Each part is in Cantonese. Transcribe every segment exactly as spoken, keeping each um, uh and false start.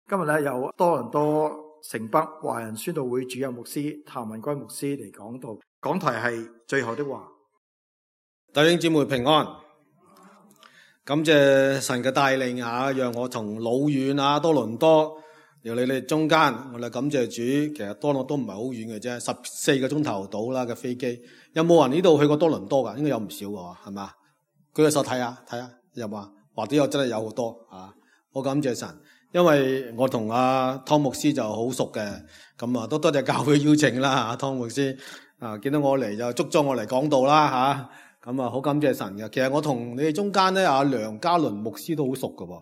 今日咧有多倫多城北華人宣道會主任牧師譚文圭牧師嚟講道，講題係最後的話。弟兄姊妹平安，感謝神嘅帶領啊，讓我從老遠啊多倫多由你哋中間，我哋感謝主。其實多倫多都唔係好遠嘅啫，十四個鐘頭到啦嘅飛機。有冇人呢度去過多倫多噶？應該有唔少嘅，係嘛？舉個手睇下睇下，有冇？或者有真係有好多啊！好感謝神。因為我同阿湯牧師就好熟嘅，咁啊都多謝教會邀請啦，阿湯牧師啊見到我嚟就捉咗我嚟講道啦吓，咁啊好感謝神嘅。其實我同你哋中間咧，阿梁家麟牧師都好熟㗎，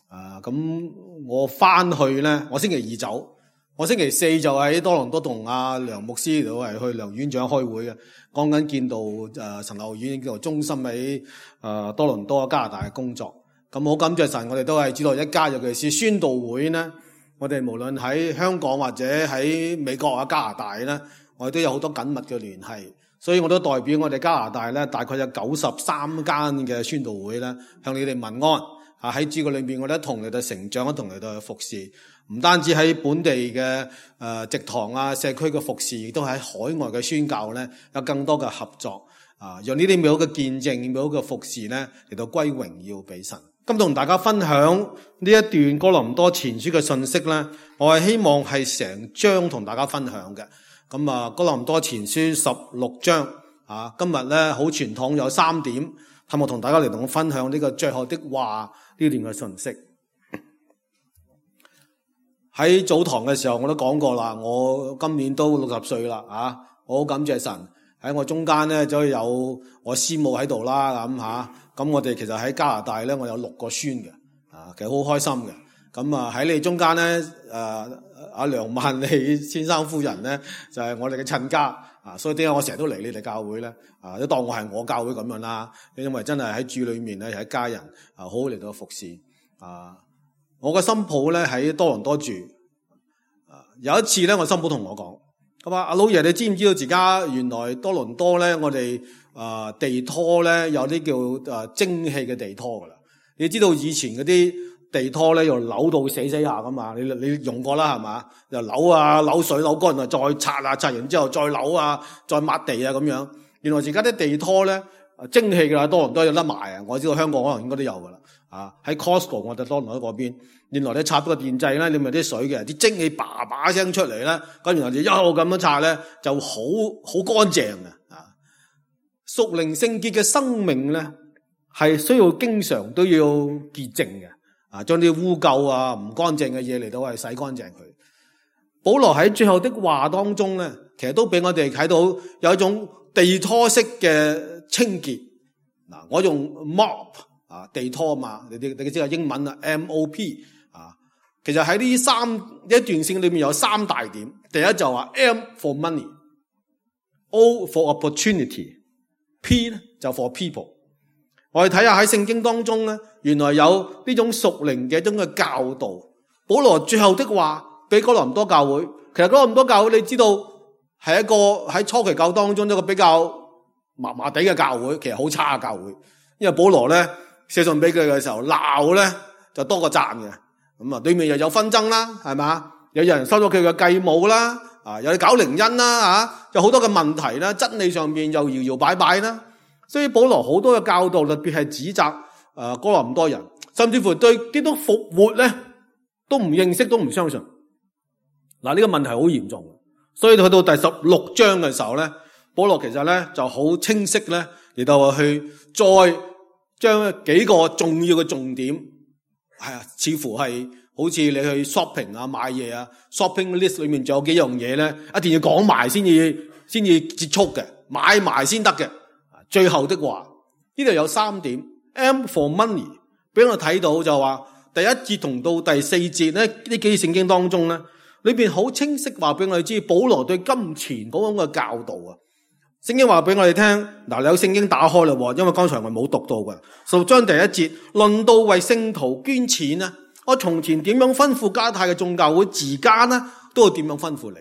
啊咁我翻去咧，我星期二走，我星期四就喺多倫多同阿梁牧師度係去梁院長開會嘅，講緊建道誒神學院叫做中心喺誒多倫多加拿大嘅工作。咁好感謝神，我哋都係知道一家，尤其是宣道會呢，我哋無論喺香港或者喺美國啊加拿大呢，我哋都有好多緊密嘅聯繫。所以我都代表我哋加拿大呢，大概有九十三間嘅宣道會呢，向你哋問安。啊喺主嘅裏面，我哋一同嚟到成長，一同嚟到服侍。唔單止喺本地嘅誒植堂啊社區嘅服侍，亦都喺海外嘅宣教呢，有更多嘅合作。啊，讓呢啲美好嘅見證、美好嘅服侍呢，嚟到歸榮耀俾神。今日同大家分享呢一段哥林多前書嘅信息咧，我係希望係成章同大家分享嘅。咁啊，哥林多前書十六章啊，今日咧好傳統有三點，係我同大家嚟同我分享呢個最後的話呢段嘅信息。喺早堂嘅時候我都講過啦，我今年都六十歲啦啊，我好感謝神喺我中間咧，就有我師母喺度啦咁吓。咁我哋其實喺加拿大咧，我有六個孫嘅，啊，其實好開心嘅。咁啊喺你中間咧，誒、啊、阿梁萬利先生夫人咧，就係、是、我哋嘅親家，啊，所以點解我成日都嚟你哋教會咧？啊，都當我係我教會咁樣啦。因為真係喺主裏面咧，係一家人，啊，好好嚟到服侍。啊，我嘅新抱咧喺多倫多住，啊，有一次咧，我新抱同我講，佢話阿老爺，你知唔知道自家原來多倫多咧，我哋啊、呃，地拖咧有啲叫誒、呃、蒸汽嘅地拖噶啦。你知道以前嗰啲地拖咧又扭到死死下噶嘛？你你用過啦係嘛？又扭啊扭水扭乾啊，再擦啊擦完之後再扭啊，再抹地啊咁樣。原來而家啲地拖咧蒸汽噶啦，多倫多有得賣啊！我知道香港可能應該都有噶啦。啊，喺 Costco 我哋多倫多嗰邊，原來你插咗個電掣咧，你咪啲水嘅，啲蒸汽叭叭聲出嚟咧，咁然後就一路咁樣擦咧，就好好乾淨嘅。屬靈聖潔嘅生命咧，係需要經常都要潔淨嘅，啊，將啲污垢啊、唔乾淨嘅嘢嚟到係洗乾淨佢。保羅喺最後的話當中咧，其實都俾我哋睇到有一種地拖式嘅清潔。嗱，我用 mop 啊，地拖嘛，你哋你知啊，英文啊 M O P 啊，其實喺呢三一段聖裏面有三大點。第一就話 M for money，O for opportunity。P 咧就 for people。我哋睇下喺聖經當中咧，原來有呢種屬靈嘅一種嘅教導。保羅最後的話俾哥林多教會，其實哥林多教會你知道係一個喺初期教當中一個比較麻麻地嘅教會，其實好差嘅教會。因為保羅咧寫信俾佢嘅時候鬧咧就多過讚嘅。咁啊對面又有紛爭啦，係嘛？有人收咗佢嘅繼母啦。啊，有搞靈恩啦，啊，有好多嘅問題啦，真理上面又搖搖擺擺啦，所以保羅好多嘅教導，特別係指責誒哥林多人，甚至乎對基督復活咧都唔認識，都唔相信。嗱，呢個問題好嚴重，所以去到第十六章嘅時候咧，保羅其實咧就好清晰咧嚟到去再將幾個重要嘅重點，係啊，似乎係。好似你去 shopping 啊買嘢啊 shopping list 裏面仲有幾樣嘢咧，一定要講埋先至先至結束嘅，買埋先得嘅。最後的話，呢度有三點 M for money， 俾我睇到就話第一節同到第四節咧，呢幾聖經當中咧，裏邊好清晰話俾我哋知，保羅對金錢嗰種嘅教導啊。聖經話俾我哋聽，嗱，你有聖經打開啦，因為剛才我冇讀到嘅。十六章第一節，論到為聖徒捐錢啊。我從前點樣吩咐加太嘅眾教會，自家呢都會點樣吩咐你。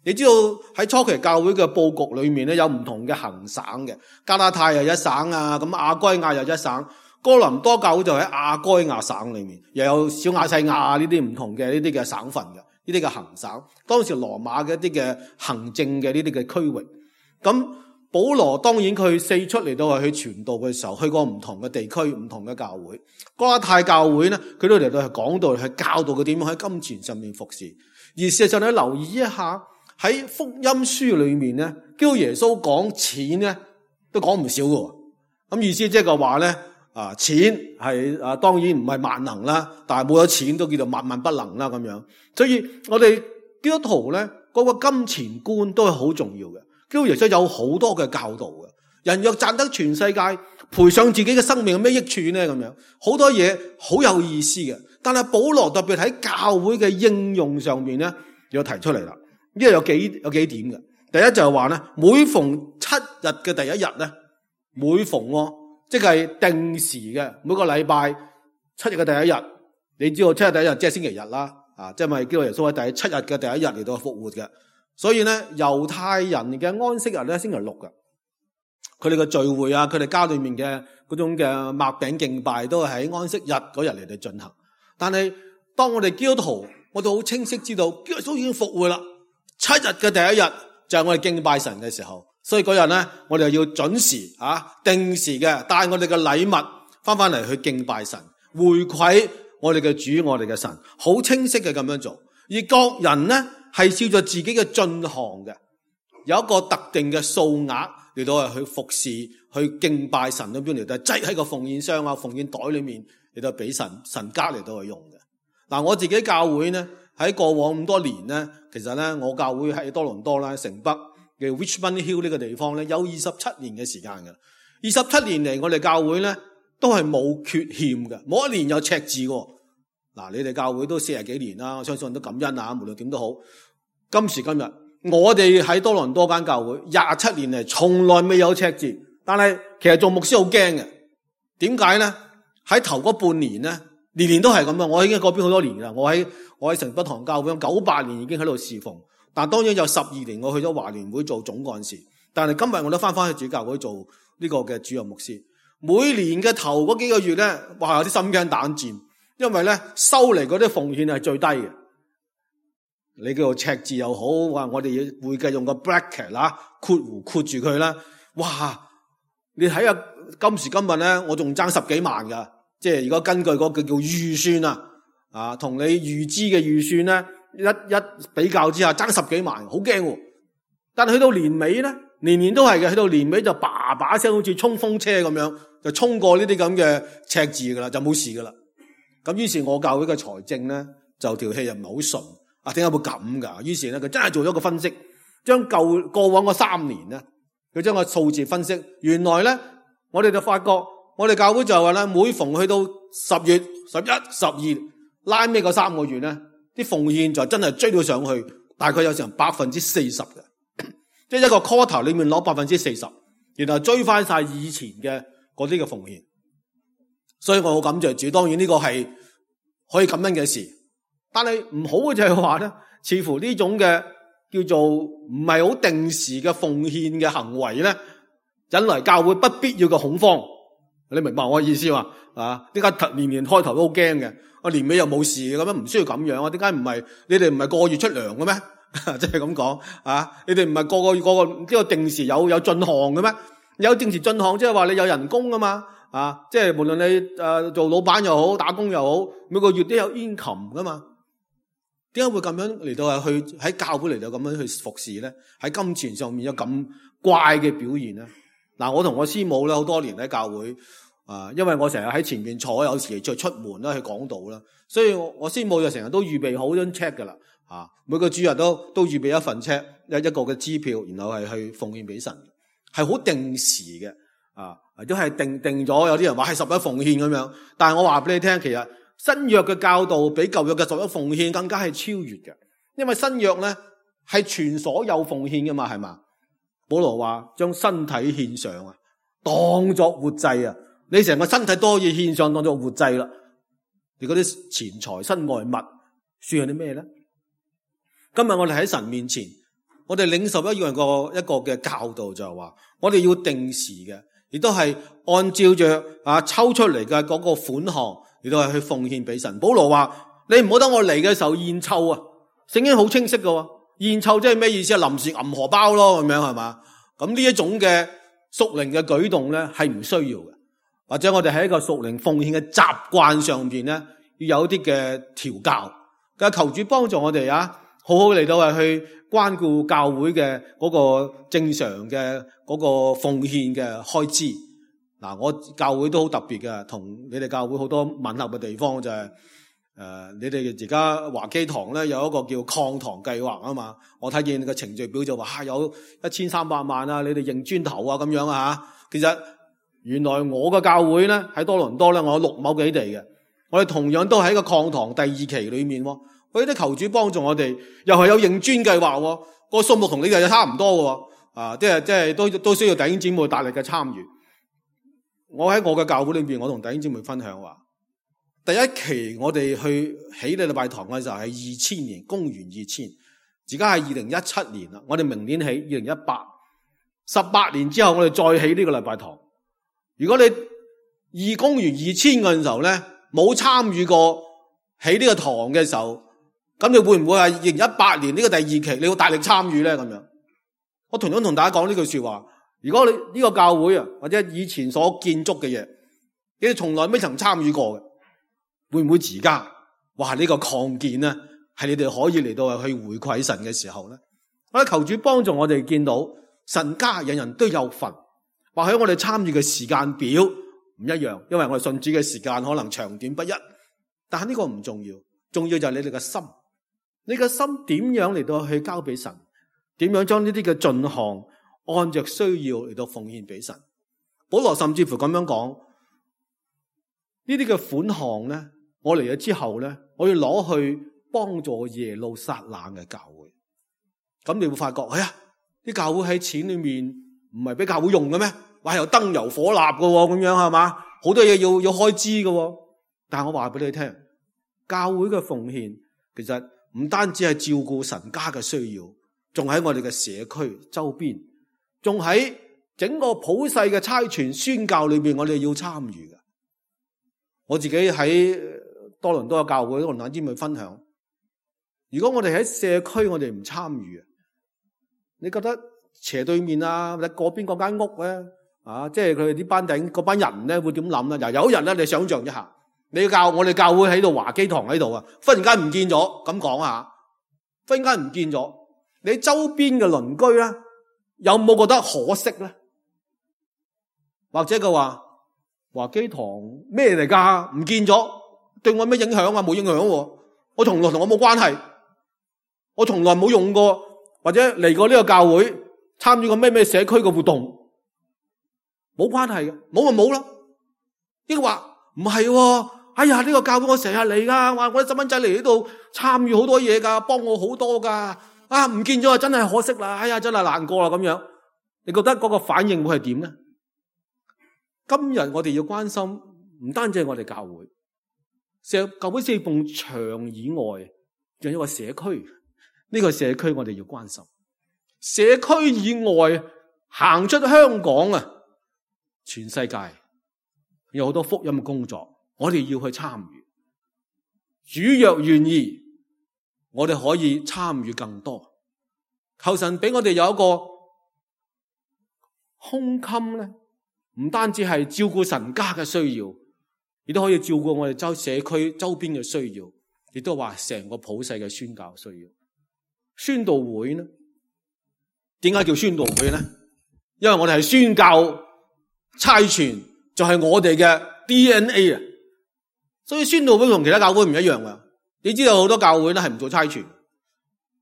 你知道喺初期教會嘅布局裏面咧，有唔同嘅行省嘅，加拉太又一省啊，咁亞該亞又一省。哥林多教會就喺亞該亞省裏面，又有小亞細亞呢啲唔同嘅呢啲嘅省份嘅，呢啲嘅行省，當時羅馬嘅一啲嘅行政嘅呢啲嘅區域。咁保羅當然佢四出嚟到係去傳道嘅時候，去過唔同嘅地區、唔同嘅教會。加拉太教會咧，佢都嚟到係講道，係教導佢點樣喺金錢上面服侍。而事實上你留意一下喺福音書裏面咧，叫耶穌講錢咧，都講唔少嘅。咁意思即係話咧，啊錢係啊當然唔係萬能啦，但係冇咗錢都叫做萬萬不能啦咁樣。所以我哋基督徒咧嗰個金錢觀都係好重要嘅。基督耶穌有好多嘅教導嘅，人若賺得全世界，賠上自己嘅生命有咩益處呢？咁樣好多嘢好有意思嘅。但係保羅特別喺教會嘅應用上面咧，有提出嚟啦。呢個有幾有幾點嘅。第一就係話咧，每逢七日嘅第一日咧，每逢喎，即係定時嘅每個禮拜七日嘅第一日，你知道七日第一日即係星期日啦，啊，即係咪基督耶穌喺第七日嘅第一日嚟到復活嘅？所以咧，猶太人嘅安息日咧，星期六嘅，佢哋嘅聚會啊，佢哋家裏面嘅嗰種嘅擘餅敬拜，都係喺安息日嗰日嚟到進行。但係當我哋基督徒，我哋好清晰知道，基督耶穌已經復活啦。七日嘅第一日就係我哋敬拜神嘅時候，所以嗰日咧，我哋要準時啊，定時嘅帶我哋嘅禮物翻翻嚟去敬拜神，回饋我哋嘅主，我哋嘅神，好清晰嘅咁樣做。而各人咧，係照着自己嘅進項嘅，有一個特定嘅數額嚟到係去服侍、去敬拜神嗰邊嚟到擠喺個奉獻箱啊、奉獻袋裏面嚟到俾神神家嚟到去用嘅。嗱，我自己教會咧喺過往咁多年咧，其實咧我教會喺多倫多啦、城北嘅 Richmond Hill 呢個地方咧有二十七年嘅時間嘅。二十七年嚟，我哋教會咧都係冇缺欠嘅，冇一年有赤字嘅。嗱，你哋教會都四十幾年啦，我相信都感恩啊。無論點都好，今時今日我哋喺多倫多間教會廿七年嚟，從來未有赤字。但係其實做牧師好驚嘅，點解咧？喺頭嗰半年咧，年年都係咁啊！我已經喺嗰邊好多年啦，我喺我喺城北堂教會九八年已經喺度侍奉，但當然有十二年我去咗華聯會做總幹事。但係今日我都翻翻去主教會做呢個嘅主任牧師。每年嘅頭嗰幾個月咧，哇，有啲心驚膽戰。因為咧收嚟嗰啲奉獻係最低嘅，你叫做赤字又好，話我哋要會計用個 bracket 啦，括弧括住佢啦。哇！你睇下今時今日咧，我仲爭十幾萬噶，即係如果根據嗰個叫預算啊，啊同你預支嘅預算咧一一比較之下，爭十幾萬，好驚。但係去到年尾咧，年年都係嘅，去到年尾就叭叭聲，好似衝鋒車咁樣，就衝過呢啲咁嘅赤字噶啦，就冇事噶啦。咁於是我教會嘅財政咧就條氣又唔係好順啊，點解會咁噶？於是咧佢真係做咗個分析，將舊過往嗰三年咧，佢將個數字分析，原來咧我哋就發覺，我哋教會就話咧，每逢去到十月、十一、十二拉尾嗰三個月咧，啲奉獻就真係追到上去，大概有成百分之四十嘅，即係一個 quarter 裏面攞百分之四十，然後追翻晒以前嘅嗰啲嘅奉獻。所以我好感謝主，當然呢個係可以感恩嘅事，但係唔好嘅就係話咧，似乎呢種嘅叫做唔係好定時嘅奉獻嘅行為咧，引嚟教會不必要嘅恐慌。你明白我嘅意思嘛？啊，點解年年開頭都好驚嘅？我年尾又冇事咁樣，唔需要咁樣啊？點解唔係？你哋唔係個個月出糧嘅咩？即係咁講啊？你哋唔係個個月個個呢個定時有有進項嘅咩？有定時進項，即係話你有人工啊嘛？啊，即係無論你誒、呃、做老闆又好，打工又好，每個月都有 income 噶嘛？點解會咁樣嚟到係去喺教會嚟到咁樣去服侍咧？喺金錢上面有咁怪嘅表現咧？嗱、啊，我同我師母咧好多年喺教會啊，因為我成日喺前面坐，有時再出門啦去講道啦，所以我我師母就成日都預備好張 check 噶啦，啊，每個主日都都預備一份 check， 一一個嘅支票，然後係去奉獻俾神，係好定時嘅。啊，或者係定定咗，有啲人話係十一奉獻咁樣，但係我話俾你聽，其實新約嘅教導比舊約嘅十一奉獻更加係超越嘅，因為新約咧係全所有奉獻噶嘛，係嘛？保羅話將身體獻上啊，當作活祭啊，你成個身體都可以獻上當作活祭啦。你嗰啲錢財身外物算係啲咩咧？今日我哋喺神面前，我哋領受一樣個一個嘅教導就係話，我哋要定時嘅。亦都係按照着啊抽出嚟嘅嗰個款項，亦都係去奉獻俾神。保羅話：你唔好等我嚟嘅時候現湊啊！聖經好清晰嘅，現湊即係咩意思啊？臨時揞荷包咯，咁樣係嘛？咁呢一種嘅屬靈嘅舉動咧，係唔需要嘅。或者我哋喺一個屬靈奉獻嘅習慣上邊咧，要有啲嘅調教。咁求主幫助我哋啊，好好嚟到係去關顧教會嘅嗰個正常嘅嗰個奉獻嘅開支。嗱，我教會都好特別嘅，同你哋教會好多吻合嘅地方就係、是、誒、呃，你哋而家華基堂咧有一個叫擴堂計劃啊嘛。我睇見個程序表就話、啊、有一千三百萬啊，你哋認磚頭啊咁樣啊。其實原來我嘅教會咧喺多倫多咧，我有六畝幾地嘅，我哋同樣都喺個擴堂第二期裏面。我哋求主幫助我哋，又係有認磚計劃，個數目同你哋差唔多嘅，啊，即係即係都都需要弟兄姊妹大力嘅參與。我喺我嘅教會裏邊，我同弟兄姊妹分享話，第一期我哋去起呢禮拜堂嘅時候係二千年，公元二千，而家係二零一七年啦。我哋明年起二零一八，十八年之後我哋再起呢個禮拜堂。如果你二公元二千嘅時候咧，冇參與過起呢個堂嘅時候，咁你會唔會係二零一八年呢個第二期你要大力參與咧？咁樣，我同樣同大家講呢句說話。如果你呢個教會啊，或者以前所建築嘅嘢，你哋從來未曾參與過嘅，會唔會而家哇呢個擴建咧，係你哋可以嚟到去回饋神嘅時候咧？我哋求主幫助我哋見到神家人人都有份。或許我哋參與嘅時間表唔一樣，因為我哋信主嘅時間可能長短不一，但係呢個唔重要，重要就係你哋嘅心，你嘅心點樣嚟到去交俾神，點樣將呢啲嘅進項按着需要嚟到奉獻俾神。保羅甚至乎咁樣講，呢啲嘅款項咧，我嚟咗之後咧，我要攞去幫助耶路撒冷嘅教會。咁你會發覺，哎呀，啲教會喺錢裏面唔係俾教會用嘅咩？話有燈油火蠟嘅咁樣係嘛？好多嘢要要開支嘅。但係我話俾你聽，教會嘅奉獻其實唔單止係照顧神家嘅需要，仲喺我哋嘅社區周邊，仲喺整個普世嘅差傳宣教裏邊，我哋要參與嘅。我自己喺多倫多嘅教會同大家去分享，如果我哋喺社區我哋唔參與，你覺得斜對面啊，或者嗰邊嗰間屋咧，啊，即係佢哋啲班頂嗰班人咧，會點諗咧？嗱，有一日咧，你想象一下，你教我哋教會喺度華基堂喺度啊，忽然間唔見咗，咁講下，忽然間唔見咗，你周邊嘅鄰居咧，有冇覺得可惜咧？或者佢話華基堂咩嚟噶？唔見咗，對我咩影響啊？冇影響喎，我從來同我冇關係，我從來冇用過或者嚟過呢個教會參與過咩咩社區嘅活動。冇關係嘅，冇咪冇啦。呢個話唔係，哎呀呢個教會我成日嚟噶，話我啲細蚊仔嚟呢度參與好多嘢噶，幫我好多噶，啊唔見咗啊，真係可惜啦，哎呀真係難過啦咁樣。你覺得嗰個反應會係點咧？今日我哋要關心唔單止係我哋教會，社教會四埲牆以外，仲有一個社區。呢個社區我哋要關心。社區以外行出香港啊！全世界有好多福音嘅工作，我哋要去參與。主若願意，我哋可以參與更多。求神俾我哋有一個胸襟咧，唔單止係照顧神家嘅需要，亦都可以照顧我哋周社區周邊嘅需要，亦都話成個普世嘅宣教需要。宣道會呢？點解叫宣道會咧？因為我哋係宣教。差傳就係我哋嘅 D N A 啊，所以宣道會同其他教會唔一樣噶。你知道好多教會咧係唔做差傳，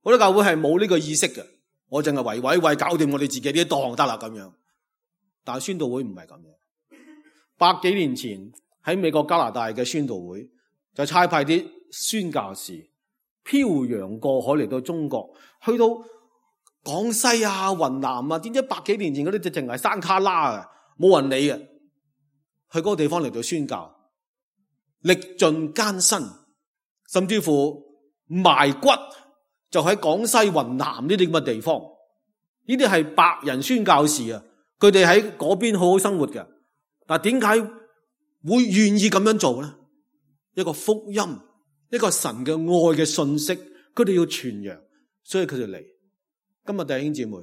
好多教會係冇呢個意識嘅。我淨係為為為搞掂我哋自己啲檔得啦咁樣。但係宣道會唔係咁樣。百幾年前喺美國加拿大嘅宣道會就差派啲宣教士漂洋過海嚟到中國，去到廣西啊、雲南啊，點知百幾年前嗰啲就淨係山卡拉啊。冇人理嘅，去嗰個地方嚟到宣教，歷盡艱辛，甚至乎埋骨就喺廣西、雲南呢啲咁嘅地方。呢啲係白人宣教士啊，佢哋喺嗰邊好好生活嘅，但係點解會願意咁樣做咧？一個福音，一個神嘅愛嘅信息，佢哋要傳揚，所以佢哋嚟。今日弟兄姊妹，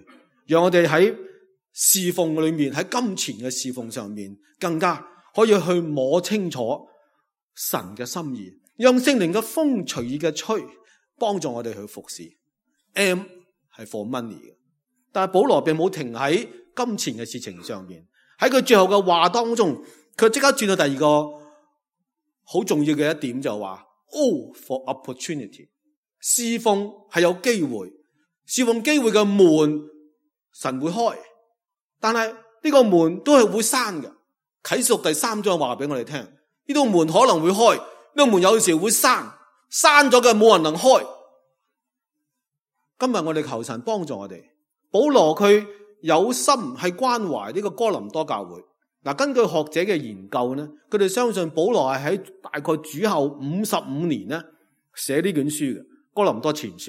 讓我哋喺侍奉裏面，喺金錢嘅侍奉上面，更加可以去摸清楚神嘅心意，讓聖靈嘅風隨意嘅吹，幫助我哋去服侍。M 係 for money 嘅，但係保羅並冇停喺金錢嘅事情上面，喺佢最後嘅話當中，佢即刻轉到第二個好重要嘅一點，就話 O for opportunity， 侍奉係有機會，侍奉機會嘅門神會開，但係呢個門都係會閂嘅。啟示錄第三章話俾我哋聽，呢度門可能會開，呢個門有時會閂，閂咗嘅冇人能開。今日我哋求神幫助我哋。保羅佢有心係關懷呢個哥林多教會。嗱，根據學者嘅研究呢，佢哋相信保羅係喺大概主後五十五年呢寫呢卷書嘅《哥林多前書》。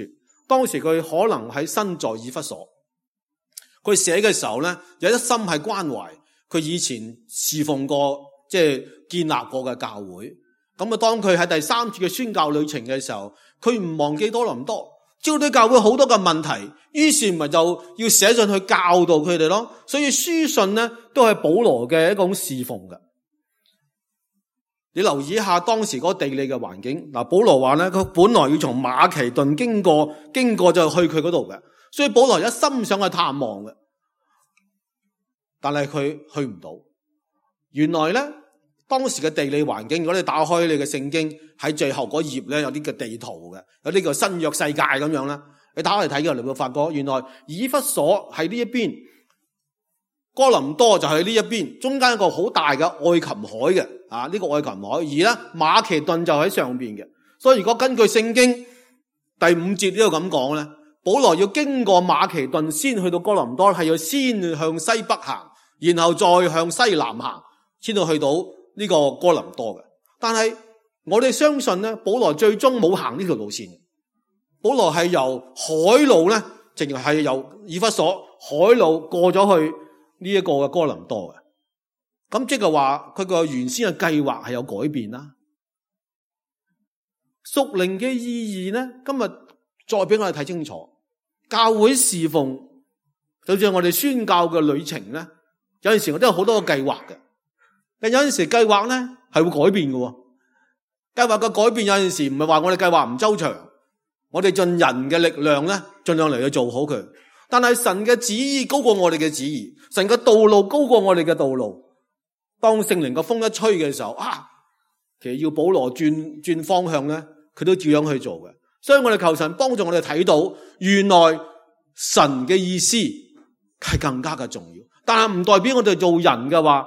當時佢可能喺身在以弗所，佢寫嘅時候呢，有一心係關懷佢以前侍奉過，即係建立過嘅教會。咁啊，當佢喺第三次嘅宣教旅程嘅時候，佢唔忘記哥林多。知道啲教會好多嘅問題，於是咪就要寫上去教導佢哋咯。所以書信呢都係保羅嘅一種侍奉嘅。你留意一下當時嗰個地理嘅環境。嗱，保羅話咧，佢本來要從馬其頓經過，經過就去佢嗰度嘅。所以保羅一心想去探望嘅，但係佢去唔到。原來咧，當時嘅地理環境，如果你打開你嘅聖經，喺最後嗰頁咧有啲嘅地圖嘅，有啲叫新約世界咁樣啦。你打開嚟睇嘅，你會發覺原來以弗所喺呢一邊，哥林多就喺呢一邊，中間一個好大嘅愛琴海嘅啊，呢、這個愛琴海，而咧馬其頓就喺上邊嘅。所以如果根據聖經第五節呢度咁講咧，保羅要經過馬其頓先去到哥林多，係要先向西北行，然後再向西南行，先到去到呢個哥林多嘅。但係我哋相信咧，保羅最終冇行呢條路線。保羅係由海路咧，淨係由以弗所海路過咗去呢一個嘅哥林多嘅。咁即係話佢個原先嘅計劃係有改變啦。屬靈嘅意義咧，今日再俾我哋睇清楚。教會侍奉，就似我哋宣教嘅旅程咧，有陣時我都有好多個計劃嘅，但有陣時計劃咧係會改變嘅。計劃嘅改變有陣時唔係話我哋計劃唔周詳，我哋盡人嘅力量咧，盡量嚟去做好佢。但係神嘅旨意高過我哋嘅旨意，神嘅道路高過我哋嘅道路。當聖靈嘅風一吹嘅時候，啊，其實要保羅轉轉方向咧，佢都照樣去做嘅。所以我哋求神幫助我哋睇到，原來神嘅意思係更加嘅重要。但係唔代表我哋做人嘅話，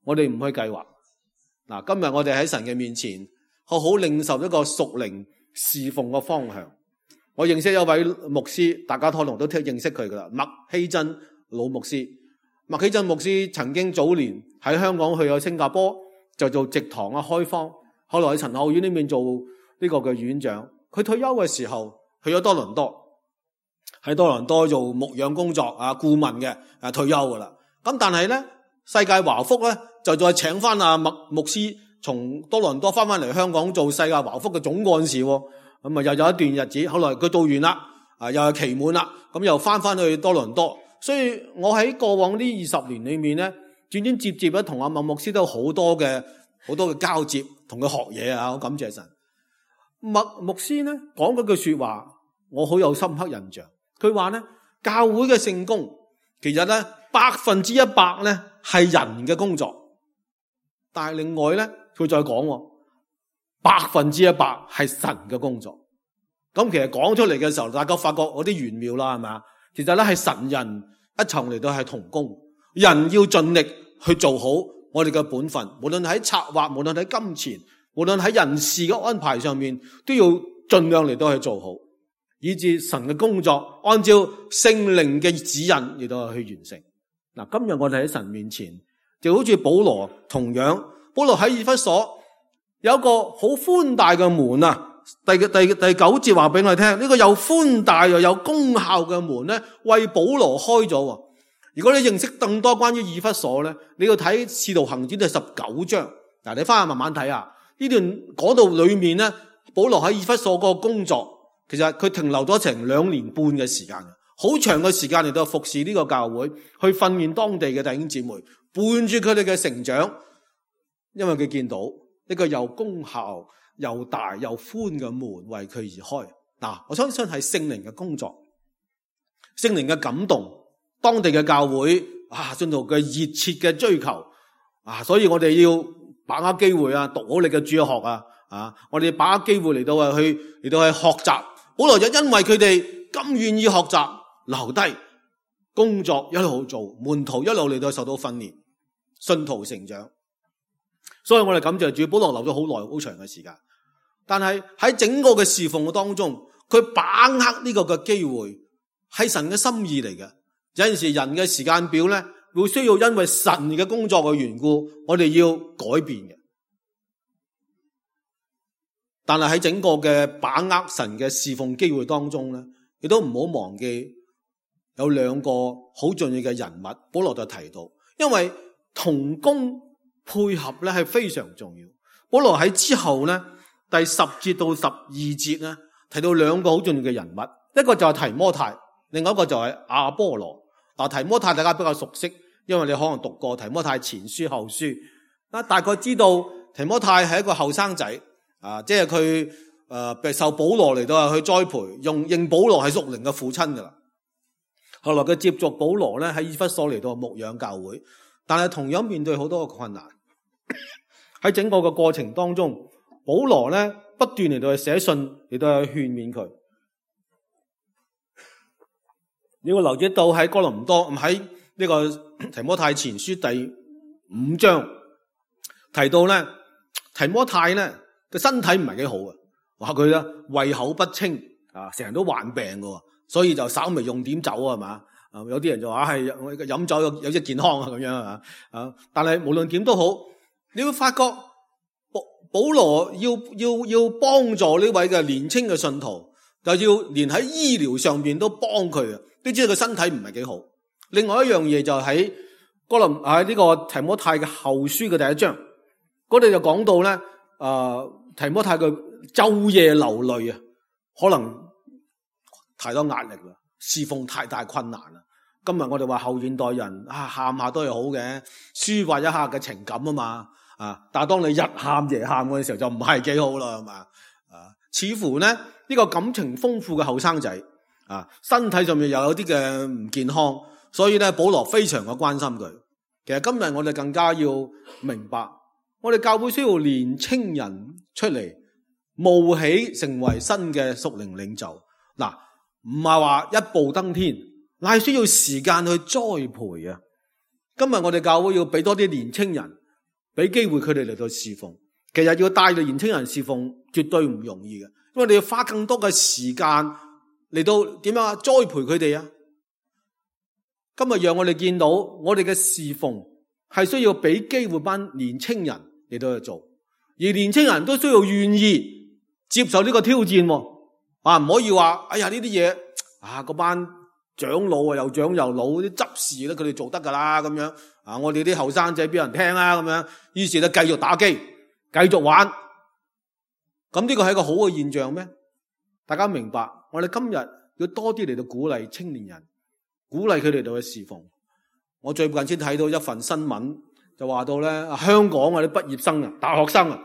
我哋唔去計劃。嗱，今日我哋喺神嘅面前，好好領受一個屬靈侍奉嘅方向。我認識一位牧師，大家可能都聽認識佢噶啦，麥希真老牧師。麥希真牧師曾經早年喺香港去咗新加坡，就做植堂啊開荒，後來喺陳後院呢邊做呢個嘅院長。佢退休嘅時候去咗多倫多，喺多倫多做牧養工作啊顧問嘅，啊退休噶啦。咁但係咧，世界華福咧就再請翻阿麥牧師從多倫多翻翻嚟香港做世界華福嘅總幹事。咁啊又有一段日子，後來佢做完啦，啊又係期滿啦，咁又翻翻去多倫多。所以我喺過往呢二十年裏面咧，轉轉接接咧同阿麥牧師都有好多嘅好多嘅交接，同佢學嘢啊，好感謝神。麥牧師咧講嗰句說話，我好有深刻印象。佢話咧，教會嘅聖工其實咧百分之一百咧係人嘅工作，但係另外咧佢再講，百分之一百係神嘅工作。咁其實講出嚟嘅時候，大家發覺有啲玄妙啦，係咪？其實咧係神人一齊嚟到係同工，人要盡力去做好我哋嘅本分，無論喺策劃，無論喺金錢，無論喺人事嘅安排上面，都要盡量嚟到去做好，以致神嘅工作按照聖靈嘅指引嚟到去完成。嗱，今日我哋喺神面前，就好似保羅同樣，保羅喺以弗所有一個好寬大嘅門啊。第第第九節話俾我哋聽，呢個又寬大又有功效嘅門咧，為保羅開咗。如果你認識更多關於以弗所咧，你要睇《使徒行傳》第十九章。嗱，你翻去慢慢睇下呢段講到裏面咧，保羅喺以弗所嗰個工作，其實佢停留咗成兩年半嘅時間，好長嘅時間嚟到服侍呢個教會，去訓練當地嘅弟兄姊妹，伴住佢哋嘅成長。因為佢見到一個又功效又大又寬嘅門為佢而開。嗱，我相信係聖靈嘅工作，聖靈嘅感動。當地嘅教會啊，信徒嘅熱切嘅追求啊，所以我哋要把握機會啊，讀好你嘅主學啊，啊，我哋把握機會嚟到啊去嚟到去學習。保羅就因為佢哋咁願意學習，留低工作一路做，門徒一路嚟到受到訓練，信徒成長。所以我哋感謝主，保羅留咗好耐好長嘅時間。但係喺整個嘅侍奉嘅當中，佢把握呢個嘅機會係神嘅心意嚟嘅。有陣時人嘅時間表咧，會需要因為神嘅工作嘅緣故，我哋要改變嘅。但係喺整個嘅把握神嘅侍奉機會當中咧，亦都唔好忘記有兩個好重要嘅人物，保羅就提到，因為同工配合咧係非常重要。保羅喺之後咧第十節到十二節咧提到兩個好重要嘅人物，一個就係提摩太，另外一個就係亞波羅。嗱，提摩太大家比較熟悉，因為你可能讀過提摩太前書後書，啊，大概知道提摩太係一個後生仔，啊，即係佢誒受保羅嚟到去栽培，用認保羅係屬靈嘅父親噶啦。後來佢接續保羅咧喺以弗所嚟到牧養教會，但係同樣面對好多嘅困難。喺整個嘅過程當中，保羅咧不斷嚟到去寫信嚟到去勸勉佢。你會留意到喺哥林多喺呢個提摩太前書第五章提到咧，提摩太咧個身體唔係幾好啊，話佢咧胃口不清啊，成日都患病嘅，所以就稍微用點酒啊，係嘛啊，有啲人就話係飲酒有有益健康啊咁樣啊啊，但係無論點都好，你會發覺保保羅要要要幫助呢位嘅年輕嘅信徒，就要連喺醫療上邊都幫佢啊。都知道佢身體唔係幾好。另外一樣嘢就喺哥林喺呢個提摩太嘅後書嘅第一章，嗰度就講到咧，誒、呃、提摩太嘅晝夜流淚啊，可能太多壓力啦，侍奉太大困難啦。今日我哋話後現代人啊，喊下都係好嘅，抒發一下嘅情感啊嘛，啊，但係當你日喊夜喊嗰陣時候就唔係幾好啦，係嘛啊？似乎咧呢、呢個感情豐富嘅後生仔。啊，身體上面又有啲嘅唔健康，所以咧保羅非常嘅關心佢。其實今日我哋更加要明白，我哋教會需要年青人出嚟冒起成為新嘅屬靈領袖。嗱、啊，唔係話一步登天，乃係需要時間去栽培啊。今日我哋教會要俾多啲年青人，俾機會佢哋嚟到侍奉。其實要帶領年青人侍奉絕對唔容易嘅，因為你要花更多嘅時間。嚟到點樣啊？栽培佢哋啊！今日讓我哋見到我哋嘅侍奉係需要俾機會班年青人嚟到去做，而年青人都需要願意接受呢個挑戰。啊，唔可以話哎呀呢啲嘢啊，嗰班長老啊又長又老啲執事咧，佢哋做得噶啦咁樣啊，我哋啲後生仔俾人聽啦咁樣，於是咧繼續打機，繼續玩。咁呢個係一個好嘅現象咩？大家明白？我哋今日要多啲嚟到鼓勵青年人，鼓勵佢哋到去侍奉。我最近先睇到一份新聞，就話到咧，香港嗰啲畢業生啊，大學生啊，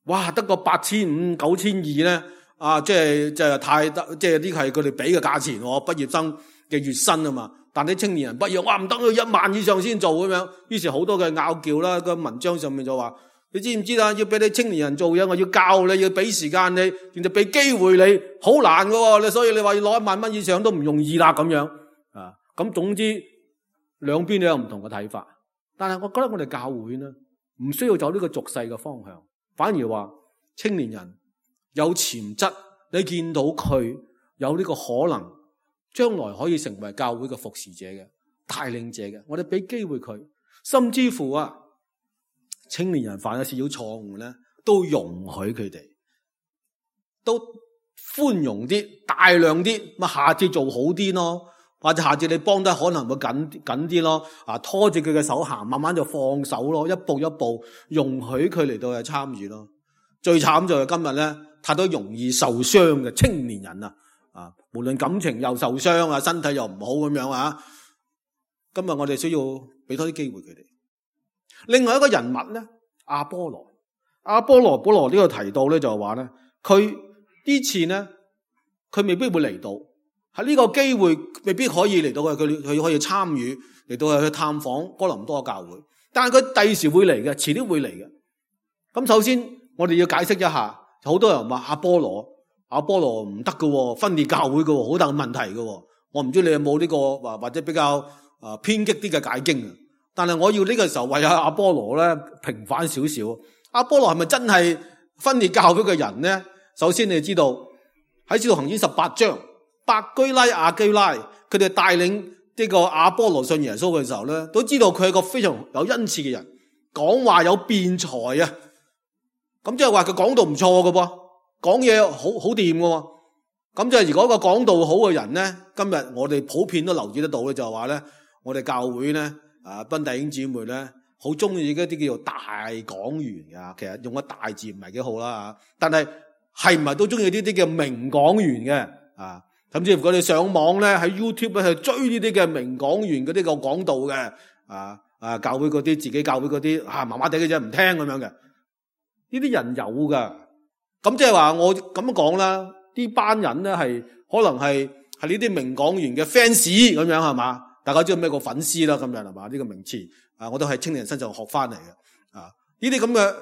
哇，得個八千五、九千二咧，啊，即係即係太得，即係呢個係佢哋俾嘅價錢，畢業生嘅月薪啊嘛。但啲青年人畢業，哇，唔得，要一萬以上先做咁樣。於是好多嘅拗撬啦，個文章上面就話。你知唔知啊？要俾你青年人做嘢，我要教你，要俾時間你，然後俾機會你，好難噶。你所以你話要攞一萬蚊以上都唔容易啦，咁樣啊。咁總之兩邊都有唔同嘅睇法。但係我覺得我哋教會呢，唔需要走呢個俗世嘅方向，反而話青年人有潛質，你見到佢有呢個可能，將來可以成為教會嘅服侍者嘅帶領者嘅，我哋俾機會佢，甚至乎啊。青年人犯咗少少錯誤咧，都容許佢哋，都寬容啲、大量啲，咁下次做好啲咯。或者下次你幫得可能會緊緊啲咯，啊拖住佢嘅手行，慢慢就放手咯，一步一步容許佢嚟到去參與咯。最慘就係今日咧，太多容易受傷嘅青年人啊，啊無論感情又受傷啊，身體又唔好咁樣啊。今日我哋需要俾多啲機會佢哋。另外一個人物咧，阿波羅，阿波羅保羅呢個提到咧就係話咧，佢呢次咧佢未必會嚟到，喺呢個機會未必可以嚟到嘅，佢佢可以參與嚟到去探訪哥林多教會，但係佢第時會嚟嘅，遲啲會嚟嘅。咁首先我哋要解釋一下，好多人話阿波羅阿波羅唔得嘅，分裂教會嘅，好大問題嘅。我唔知你有冇呢個或或者比較啊偏激啲嘅解經啊？但係我要呢個時候為阿阿波羅咧平反少少。阿波羅係咪真係分裂教會嘅人呢？首先你知道喺《使徒行傳》十八章，百基拉、亞基拉佢哋帶領呢個阿波羅信耶穌嘅時候咧，都知道佢係個非常有恩賜嘅人，講話有辯才啊。咁即係話佢講道唔錯嘅噃，講嘢好好掂嘅喎。咁即係如果個講道好嘅人咧，今日我哋普遍都留意得到嘅就係話咧，我哋教會咧啊，賓弟兄姊妹咧，好中意一啲叫做大講員噶。其實用個大字唔係幾好啦，但係係唔係都中意呢啲叫名講員嘅啊？甚至乎佢哋上網咧喺 YouTube 咧去追呢啲嘅名講員嗰啲個講道嘅啊啊，教會嗰啲自己教會嗰啲啊麻麻地嘅啫，唔聽咁樣嘅。呢啲人有噶，咁即係話我咁樣講啦，呢班人咧係可能係係呢啲名講員嘅 fans 咁樣係嘛？大家知道咩個粉絲啦咁樣係嘛？呢個名詞啊，我都喺青年人身上學翻嚟嘅啊。呢啲咁嘅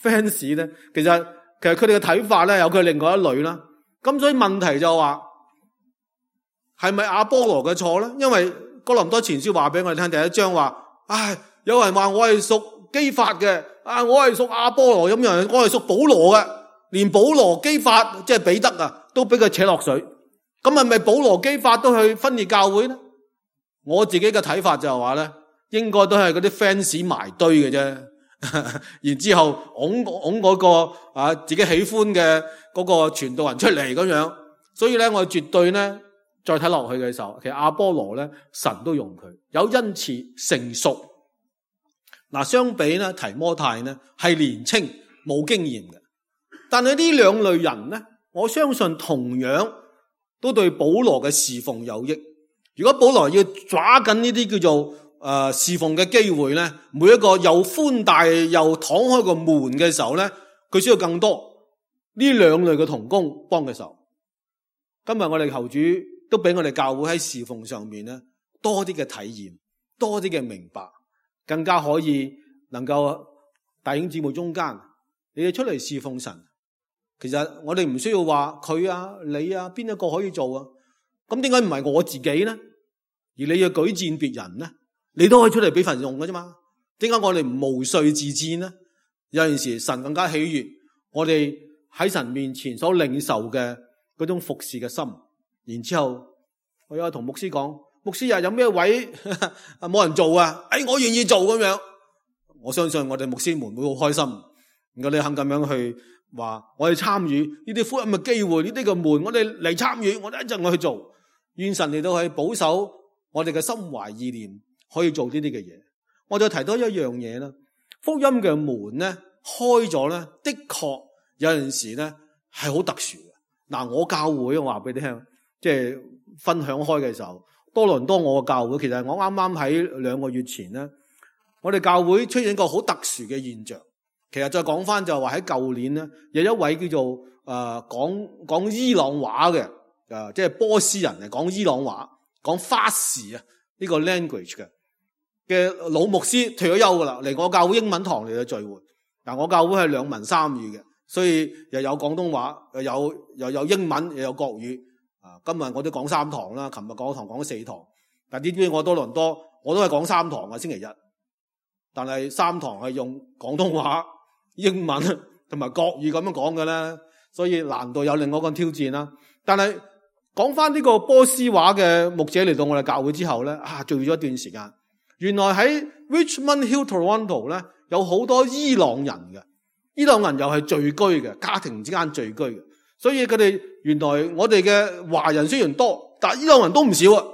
fans 咧，其實其實佢哋嘅睇法咧有佢另外一類啦。咁所以問題就話係咪阿波羅嘅錯咧？因為哥林多前書話俾我哋聽，第一章話，唉，有人話我係屬基法嘅。啊！我係屬阿波羅咁樣，我係屬保羅嘅，連保羅基法即係彼得啊，都俾佢扯落水。咁係咪保羅基法都去分裂教會咧？我自己嘅睇法就係話咧，應該都係嗰啲 fans 埋堆嘅啫。然之後拱拱嗰個啊自己喜歡嘅嗰個傳道人出嚟咁樣。所以咧，我絕對咧再睇落去嘅時候，其實阿波羅咧神都用佢，有恩賜成熟。嗱，相比咧提摩太呢係年青冇經驗嘅，但係呢兩類人呢，我相信同樣都對保羅嘅侍奉有益。如果保羅要抓緊呢啲叫做誒侍奉嘅機會呢，每一個又寬大又敞開個門嘅時候呢，佢需要更多呢兩類嘅同工幫嘅手。今日我哋求主都俾我哋教會喺侍奉上面呢多啲嘅體驗，多啲嘅明白。更加可以能夠弟兄姊妹中間，你哋出嚟侍奉神。其實我哋唔需要話佢啊、你啊，邊一個可以做啊？咁點解唔係我自己呢？而你要舉薦別人呢？你都可以出嚟俾份用㗎啫嘛？點解我哋唔毛遂自薦呢？有陣時神更加喜悅我哋喺神面前所領受嘅嗰種服侍嘅心。然之後我有同牧師講。牧師啊，有咩位冇人做啊？哎，我願意做咁樣。我相信我哋牧師們會好開心。如果你肯咁樣去話，我哋參與呢啲福音嘅機會，呢啲嘅門，我哋嚟參與，我哋一陣我去做。願神嚟到去保守我哋嘅心懷意念，可以做呢啲嘅嘢。我再提多一樣嘢啦，福音嘅門咧開咗咧，的確有陣時咧係好特殊嘅。嗱，我教會我話俾你聽，即係分享開嘅時候。多倫多我嘅教會，其實我啱啱喺兩個月前咧，我哋教會出現一個好特殊嘅現象。其實再講翻就係話喺舊年咧，有一位叫做誒、呃、講講伊朗話嘅誒，即係波斯人嚟講伊朗話，講法士啊呢個 language 嘅嘅老牧師退咗休噶啦，嚟我教會英文堂嚟嘅聚會。嗱，我教會係兩文三語嘅，所以又有廣東話，又有又有英文，又有國語。啊！今日我都講三堂啦，琴日講堂講咗四堂，但呢邊我多倫多我都係講三堂啊，星期日，但係三堂係用廣東話、英文同埋國語咁樣講嘅咧，所以難度有另外一個挑戰啦。但係講翻呢個波斯話嘅牧者嚟到我哋教會之後咧，啊，聚咗一段時間，原來喺 Richmond Hill Toronto 咧有好多伊朗人嘅，伊朗人又係聚居嘅，家庭之間聚居嘅。所以佢哋原來我哋嘅華人雖然多，但係伊朗人都唔少啊。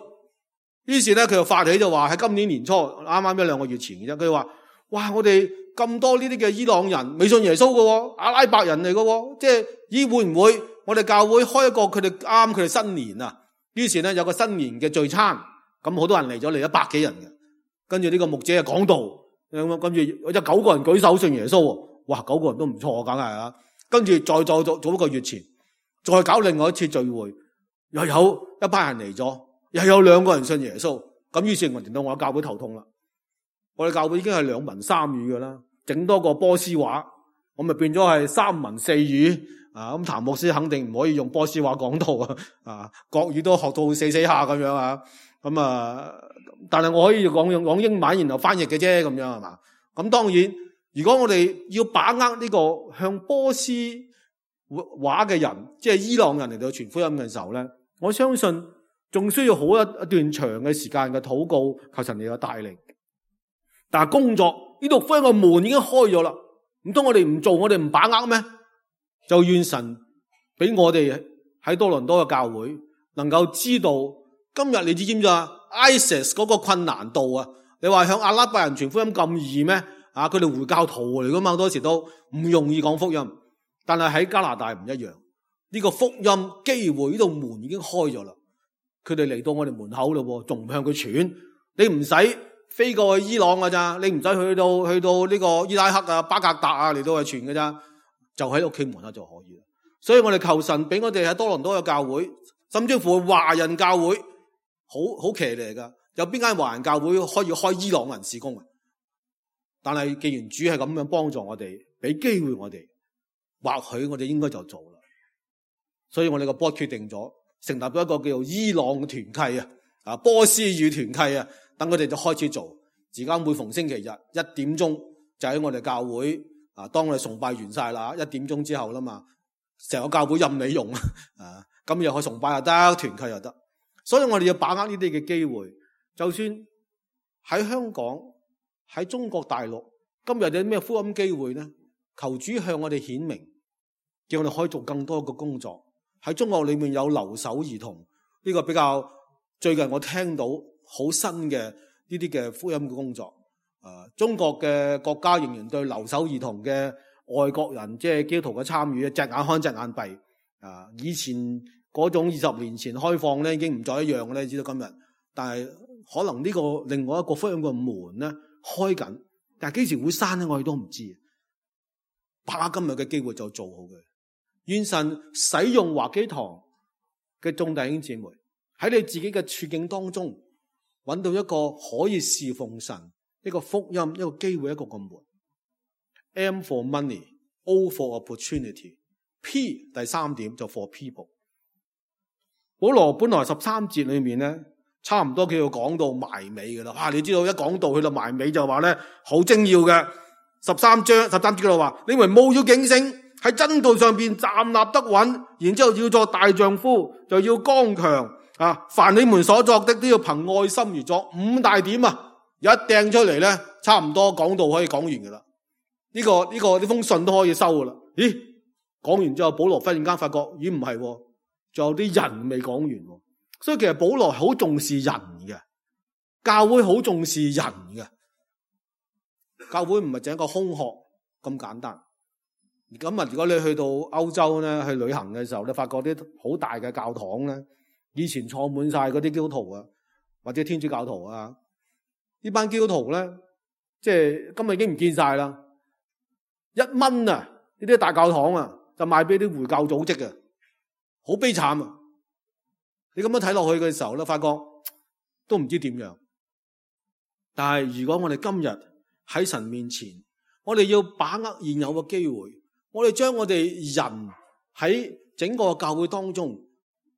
於是咧佢就發起就話喺今年年初啱啱一兩個月前嘅啫，佢話：哇！我哋咁多呢啲嘅伊朗人未信耶穌嘅，阿拉伯人嚟嘅，即係咦會唔會我哋教會開一個佢哋啱佢哋新年啊？於是咧有個新年嘅聚餐，咁好多人嚟咗，嚟咗百幾人嘅。跟住呢個牧者就講道，咁跟住有九個人舉手信耶穌，哇！九個人都唔錯，梗係啊。跟住再再做做一個月前，再搞另外一次聚會，又有一班人嚟咗，又有兩個人信耶穌。咁於是我令到我教會頭痛啦。我哋教會已經係兩文三語噶啦，整多個波斯話，我咪變咗係三文四語啊！咁譚牧師肯定唔可以用波斯話講道啊，啊國語都學到死死下咁樣啊，咁啊，但係我可以講用講英文然後翻譯嘅啫，咁樣係嘛？咁當然，如果我哋要把握呢個向波斯話嘅人，即係伊朗人嚟到傳福音嘅時候咧，我相信仲需要好一一段長嘅時間嘅禱告，求神嚟嘅帶領。但係工作呢度福音嘅門已經開咗啦，唔通我哋唔做，我哋唔把握咩？就願神俾我哋喺多倫多嘅教會能夠知道，今日你知唔知啊 ？ISIS 嗰個困難度啊，你話向阿拉伯人傳福音咁易咩？啊，佢哋回教徒嚟噶嘛，好多時都唔容易講福音。但係喺加拿大唔一樣，呢個福音機會呢度門已經開咗啦，佢哋嚟到我哋門口咯，仲唔向佢傳？你唔使飛過去伊朗噶咋，你唔使去到去到呢個伊拉克啊、巴格達啊嚟到去傳噶咋，就喺屋企門口就可以啦。所以我哋求神俾我哋喺多倫多嘅教會，甚至乎華人教會，好好騎呢噶。有邊間華人教會可以開伊朗人事工啊？但係既然主係咁樣幫助我哋，俾機會我哋，或許我哋應該就做啦。所以我哋個 board 決定咗成立咗一個叫做伊朗團契啊，啊波斯語團契啊。等佢哋就開始做，而家每逢星期日一點鐘就喺我哋教會啊，當我哋崇拜完晒啦，一點鐘之後啦嘛，成個教會任你用啊，咁又可以崇拜又得，團契又得，所以我哋要把握呢啲嘅機會。就算喺香港、喺中國大陸，今日有啲咩福音機會呢？求主向我哋顯明，叫我哋可以做更多嘅工作。喺中國裏面有留守兒童，呢個比較最近我聽到。好新嘅呢啲嘅福音嘅工作，誒、呃，中國嘅國家仍然對留守兒童嘅外國人，即係基督徒嘅參與，隻眼開隻眼閉。啊、呃，以前嗰種二十年前開放咧，已經唔再一樣嘅咧，知道今日。但係可能呢個另外一個福音嘅門咧開緊，但係幾時會閂咧，我哋都唔知。把握今日嘅機會就做好佢。願神使用華基堂嘅眾弟兄姊妹喺你自己嘅處境當中，揾到一個可以侍奉神、一個福音、一個機會、一個個門。M for money，O for opportunity，P 第三點就 for people。保羅本來十三節裏面咧，差唔多佢要講到埋尾噶啦。哇！你知道一講到去到埋尾就話咧，好精要嘅十三章十三節嗰度話：你們務要警醒，喺真道上邊站立得穩，然之後要做大丈夫，就要剛強。啊！凡你們所作的都要憑愛心而作。五大點啊，一掟出嚟咧，差唔多講道可以講完噶啦。呢、這個呢、這個呢封信都可以收噶啦。咦？講完之後，保羅忽然間發覺，咦唔係，仲有啲人未講完。所以其實保羅好重視人嘅，教會好重視人嘅。教會唔係淨係一個空殼咁簡單。咁啊，如果你去到歐洲咧，去旅行嘅時候，你發覺啲好大嘅教堂咧。以前坐滿晒嗰啲基督徒啊，或者天主教徒啊，呢班基督徒咧，即係今日已經唔見晒啦。一蚊啊，呢啲大教堂啊，就賣俾啲回教組織嘅，好悲慘啊！你咁樣睇落去嘅時候咧，發覺都唔知點樣。但係如果我哋今日喺神面前，我哋要把握現有嘅機會，我哋將我哋人喺整個教會當中。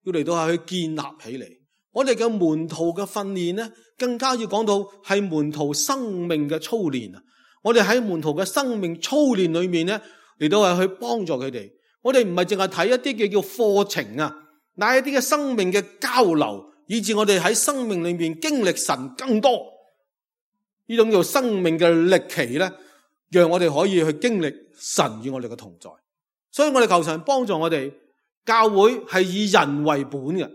要嚟到係去建立起嚟，我哋嘅門徒嘅訓練咧，更加要講到係門徒生命嘅操練啊！我哋喺門徒嘅生命操練裏面咧，嚟到係去幫助佢哋。我哋唔係淨係睇一啲嘅叫課程啊，乃一啲嘅生命嘅交流，以致我哋喺生命裏面經歷神更多。呢種叫生命嘅歷奇咧，讓我哋可以去經歷神與我哋嘅同在。所以我哋求神幫助我哋。教會係以人為本嘅，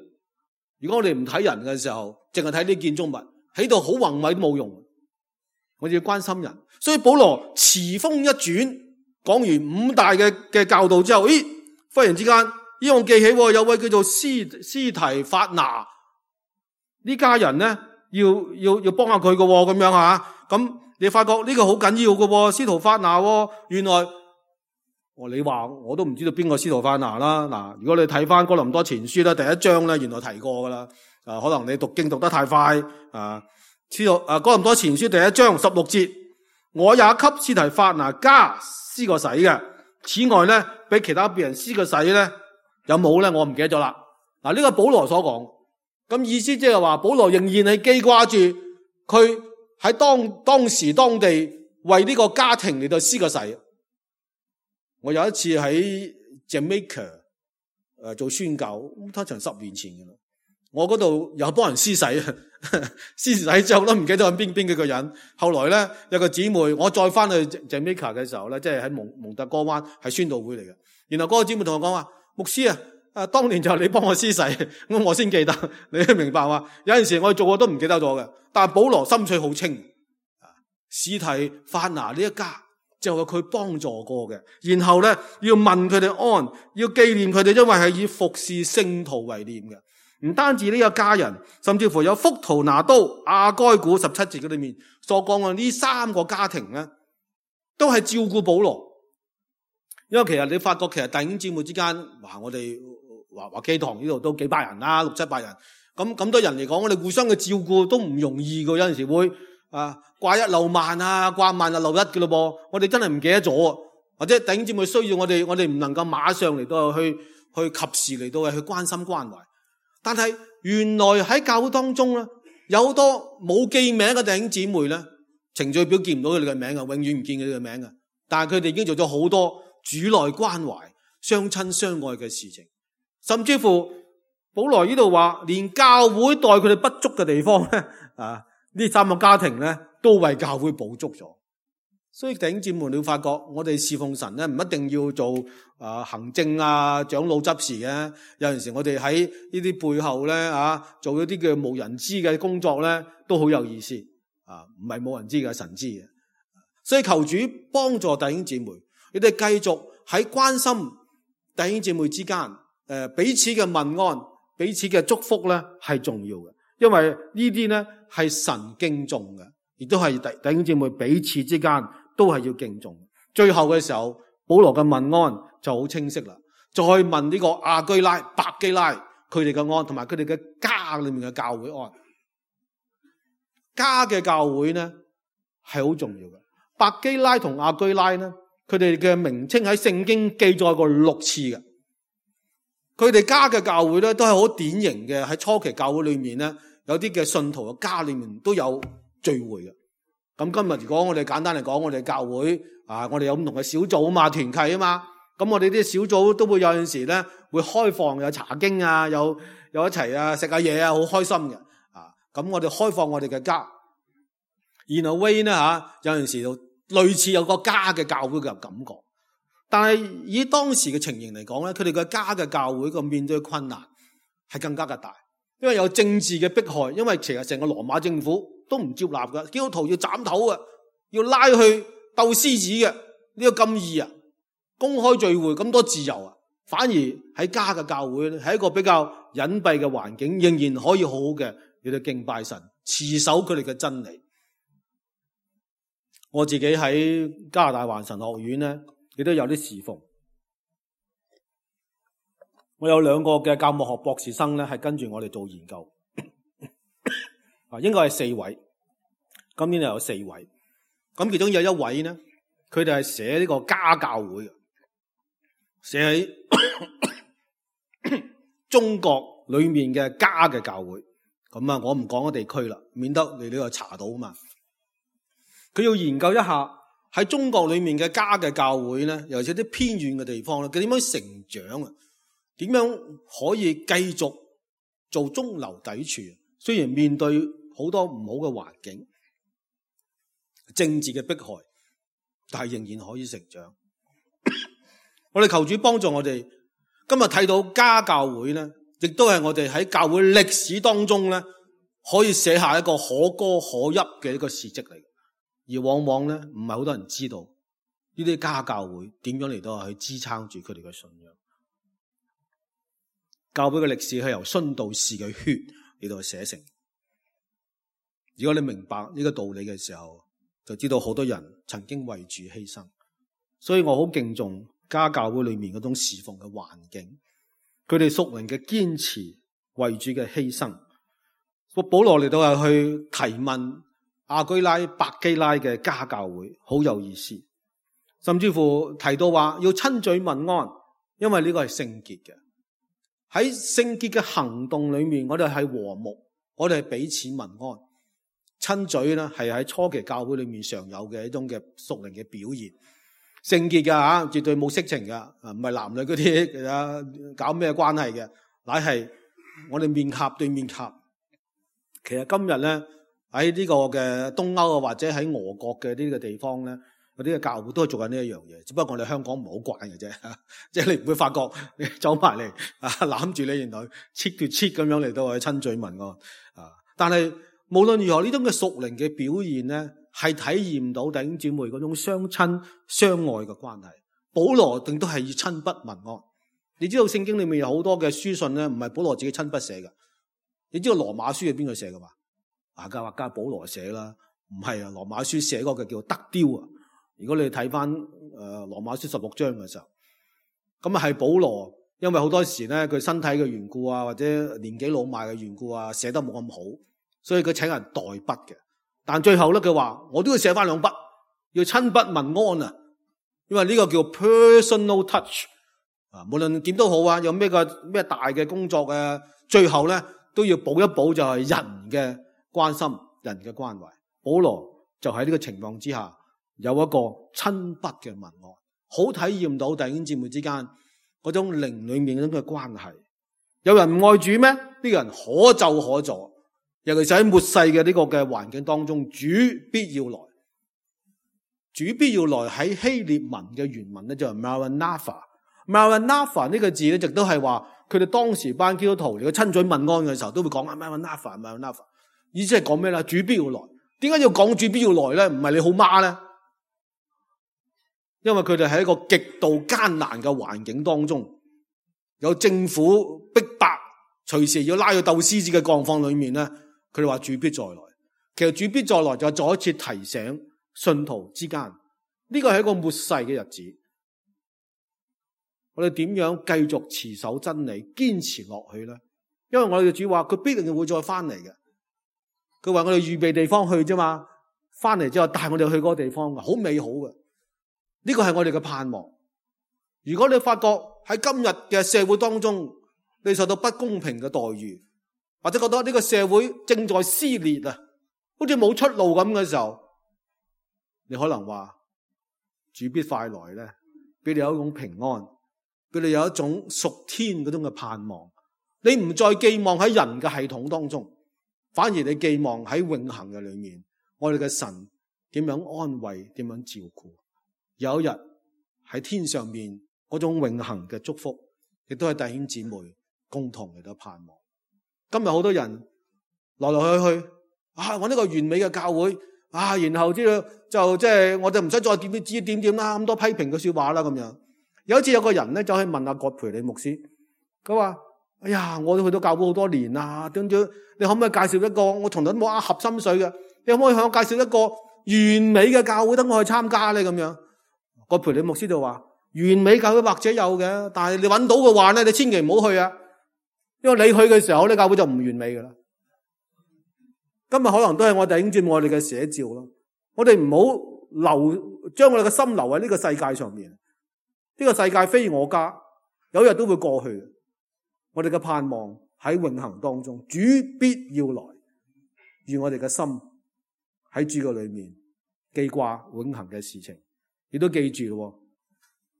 如果我哋唔睇人嘅時候，淨係睇啲建築物，喺度好宏偉都冇用。我哋要關心人，所以保羅詞鋒一轉，講完五大嘅嘅教導之後，咦，忽然之間，咦，我記起有位叫做斯斯提法拿呢家人咧，要要要幫下佢嘅咁樣吓，咁你發覺呢個好緊要嘅，司徒法拿，原來我你話我都唔知道邊個司徒法拿啦。嗱，如果你睇翻哥林多前書咧，第一章咧，原來提過噶啦，啊，可能你讀經讀得太快啊。司徒啊，哥林多前書第一章十六節，我也給司提法拿加施過洗嘅。此外咧，俾其他別人施過洗咧，有冇咧？我唔記得咗啦。嗱，呢個保羅所講，咁意思即係話保羅仍然係記掛住佢喺當當時當地為呢個家庭嚟到施過洗。我有一次喺 Jamaica 誒做宣教，通常十年前嘅啦。我嗰度有幫人施洗，施洗之後都唔記得係邊邊幾個人。後來咧有個姊妹，我再翻去 Jamaica 嘅時候咧，即係喺蒙蒙特哥灣係宣道會嚟嘅。然後嗰個姊妹同我講話：牧師啊，誒當年就係你幫我施洗，咁我先記得。你都明白嘛？有陣時我哋做過都唔記得咗嘅。但係保羅心水好清，司提法拿呢一家就係佢幫助過嘅。然後咧要問佢哋安，要紀念佢哋，因為係以服侍聖徒為念嘅。唔單止呢個家人，甚至乎有福圖拿都、亞該古十七節嘅裏面所講嘅呢三個家庭咧，都係照顧保羅。因為其實你發覺，其實弟兄姊妹之間，哇！我哋話話基堂呢度都幾百人啦，六七百人，咁咁多人嚟講，我哋互相嘅照顧都唔容易嘅。有陣時會啊掛一漏萬啊，掛萬啊漏一嘅咯噃。我哋真係唔記得咗，或者弟兄姊妹需要我哋，我哋唔能夠馬上嚟到去去及時嚟到去關心關懷。但係原來喺教會當中咧，有好多冇記名嘅弟兄姊妹咧，程序表見唔到佢哋嘅名啊，永遠唔見佢哋嘅名啊。但係佢哋已經做咗好多主內關懷、相親相愛嘅事情，甚至乎保羅呢度話，連教會待佢哋不足嘅地方咧，啊，呢三個家庭咧都為教會補足咗。所以弟兄姊妹，你會發覺我哋侍奉神咧，唔一定要做啊、呃、行政啊長老執事嘅。有陣時我哋喺呢啲背後咧啊，做一啲叫無人知嘅工作咧，都好有意思啊！唔係冇人知嘅，神知嘅。所以求主幫助弟兄姊妹，你哋繼續喺關心弟兄姊妹之間誒、呃、彼此嘅問安、彼此嘅祝福咧係重要嘅，因為呢啲咧係神敬重嘅，亦都係弟弟兄姊妹彼此之間都係要敬重。最後嘅時候，保羅嘅問安就好清晰啦。再問呢個亞居拉、百基拉佢哋嘅安，同埋佢哋嘅家裏面嘅教會安。家嘅教會呢係好重要嘅。百基拉同亞居拉呢，佢哋嘅名稱喺聖經記載過六次嘅。佢哋家嘅教會咧都係好典型嘅，喺初期教會裏面咧，有啲嘅信徒嘅家裏面都有聚會嘅。咁今日如果我哋簡單嚟講，我哋教會啊，我哋有唔同嘅小組啊嘛，團契啊嘛，咁我哋啲小組都會有陣時咧會開放，有查經啊，有有一齊啊食下嘢啊，好開心嘅啊。咁我哋開放我哋嘅家，然後 way 呢吓，有陣時就類似有個家嘅教會嘅感覺。但係以當時嘅情形嚟講咧，佢哋嘅家嘅教會個面對困難係更加嘅大，因為有政治嘅迫害，因為其實成個羅馬政府都唔接納嘅，基督徒要斬頭嘅，要拉去鬥獅子嘅，呢個咁易啊，公開聚會咁多自由啊，反而喺家嘅教會咧，係一個比較隱蔽嘅環境，仍然可以好好嘅嚟到敬拜神，持守佢哋嘅真理。我自己喺加拿大華神學院咧，亦都有啲侍奉。我有兩個嘅教牧學博士生咧，係跟住我哋做研究。啊，應該係四位，今年又有四位。咁其中有一位呢，佢哋係寫呢個家教會嘅，寫喺中國裏面嘅家嘅教會。咁啊，我唔講個地區啦，免得你呢個查到嘛。佢要研究一下喺中國裏面嘅家嘅教會咧，尤其是啲偏遠嘅地方咧，佢點樣成長啊？點樣可以繼續做中流砥柱？雖然面對好多唔好嘅環境、政治嘅迫害，但係仍然可以成長。我哋求主幫助我哋。今日睇到家教會咧，亦都係我哋喺教會歷史當中咧，可以寫下一個可歌可泣嘅一個事蹟嚟。而往往咧，唔係好多人知道呢啲家教會點樣嚟到去支撐住佢哋嘅信仰。教會嘅歷史係由殉道士嘅血嚟到去寫成。如果你明白呢個道理嘅時候，就知道好多人曾經為主犧牲。所以我好敬重家教會裏面嗰種侍奉嘅環境，佢哋屬靈嘅堅持，為主嘅犧牲。保羅嚟到係去提問亞居拉、百基拉嘅家教會，好有意思。甚至乎提到話要親嘴問安，因為呢個係聖潔嘅。喺聖潔嘅行動裏面，我哋係和睦，我哋係彼此問安。親嘴咧係喺初期教會裏面常有嘅一種嘅屬靈嘅表現。聖潔嘅吓，絕對冇色情嘅，唔係男女嗰啲啊搞咩關係嘅，乃係我哋面頰對面頰。其實今日咧喺呢個嘅東歐啊，或者喺俄國嘅呢個地方咧，嗰啲嘅教會都係做緊呢一樣嘢，只不過我哋香港唔係好慣嘅啫，即係你唔會發覺你走埋嚟啊攬住你原來切對切咁樣嚟到去親嘴問安啊！但係無論如何呢種嘅屬靈嘅表現咧，係體驗到弟兄姊妹嗰種相親相愛嘅關係。保羅定都係要親筆問安。你知道聖經裏面有好多嘅書信咧，唔係保羅自己親筆寫嘅。你知道羅馬書係邊個寫嘅嘛？啊，家話家保羅寫啦，唔係啊，羅馬書寫嗰個叫德雕啊。如果你睇翻誒羅馬書十六章嘅時候，咁啊係保羅，因為好多時咧佢身體嘅緣故啊，或者年紀老邁嘅緣故啊，寫得冇咁好，所以佢請人代筆嘅。但最後咧，佢話我都要寫翻兩筆，要親筆問安啊，因為呢個叫 personal touch 啊。無論點都好啊，有咩個咩大嘅工作嘅，最後咧都要補一補，就係人嘅關心、人嘅關懷。保羅就喺呢個情況之下，有一個親筆嘅問安，好體驗到弟兄姊妹之間嗰種靈裏面嗰種嘅關係。有人唔愛主咩？呢個人可咒可助。尤其是喺末世嘅呢個嘅環境當中，主必要來，主必要來喺希臘文嘅原文咧就係 Maranatha。Maranatha 呢個字咧，亦都係話佢哋當時班基督徒嚟嘅親嘴問安嘅時候，都會講啊 Maranatha，Maranatha， 意思係講咩咧？主必要來。點解要講主必要來咧？唔係你好媽咧？因為佢哋喺一個極度艱難嘅環境當中，有政府逼迫，隨時要拉去鬥獅子嘅狀況裏面咧。佢哋話主必再來，其實主必再來就再一次提醒信徒之間，呢個係一個末世嘅日子。我哋點樣繼續持守真理，堅持落去咧？因為我哋嘅主話佢必定會再翻嚟嘅。佢話我哋預備地方去啫嘛，翻嚟之後帶我哋去嗰個地方，好美好嘅。呢個係我哋嘅盼望。如果你發覺喺今日嘅社會當中，你受到不公平嘅待遇，或者覺得呢個社會正在撕裂啊，好似冇出路咁嘅時候，你可能話主必快來咧，俾你有一種平安，俾你有一種屬天嗰種嘅盼望。你唔再寄望喺人嘅系統當中，反而你寄望喺永恆嘅裏面，我哋嘅神點樣安慰，點樣照顧。有一日喺天上面嗰種永恆嘅祝福，亦都係弟兄姊妹共同嚟到盼望。今日好多人來來去去啊，我呢個完美嘅教會啊，然後之後就即係我哋唔使再點點指點點啦，咁多批評嘅說話啦咁樣。有一次有個人咧就去問阿葛培理牧師，佢話：哎呀，我都去到教會好多年啦，點點你可唔可以介紹一個我同人冇啱合心水嘅？你可唔可以向我介紹一個完美嘅教會等我去參加咧？咁樣，葛培理牧師就話：完美教會或者有嘅，但係你揾到嘅話咧，你千祈唔好去啊！因為你去嘅時候呢，教會就唔完美噶啦。今日可能都係我哋弟兄姊妹我哋嘅寫照咯。我哋唔好留將我哋嘅心留喺呢個世界上面。呢個世界非我家，有一日都會過去。我哋嘅盼望喺永恆當中，主必要來，願我哋嘅心喺主嘅裏面記掛永恆嘅事情，亦都記住咯。